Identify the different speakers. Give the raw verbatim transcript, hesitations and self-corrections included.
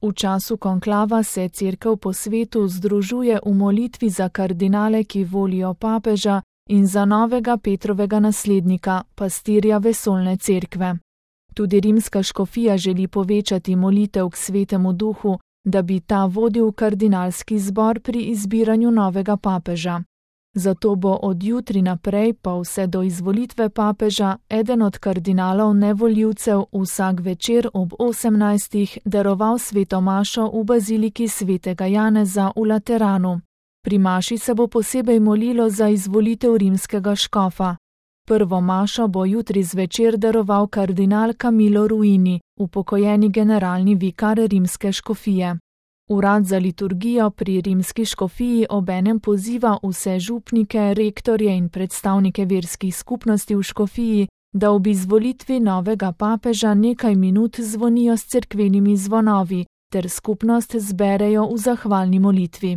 Speaker 1: V času konklava se Cerkev po svetu združuje v molitvi za kardinale, ki volijo papeža, in za novega Petrovega naslednika, pastirja vesoljne cerkve. Tudi rimska škofija želi povečati molitev k Svetemu Duhu, da bi ta vodil kardinalski zbor pri izbiranju novega papeža. Zato bo od jutri naprej pa vse do izvolitve papeža eden od kardinalov nevoljivcev vsak večer ob osemnajstih daroval sveto mašo v baziliki svetega Janeza v Lateranu. Pri maši se bo posebej molilo za izvolitev rimskega škofa. Prvo mašo bo jutri zvečer daroval kardinal Camillo Ruini, upokojeni generalni vikar rimske škofije. Urad za liturgijo pri rimski škofiji obenem poziva vse župnike, rektorje in predstavnike verskih skupnosti v škofiji, da ob izvolitvi novega papeža nekaj minut zvonijo s cerkvenimi zvonovi ter skupnost zberejo v zahvalni molitvi.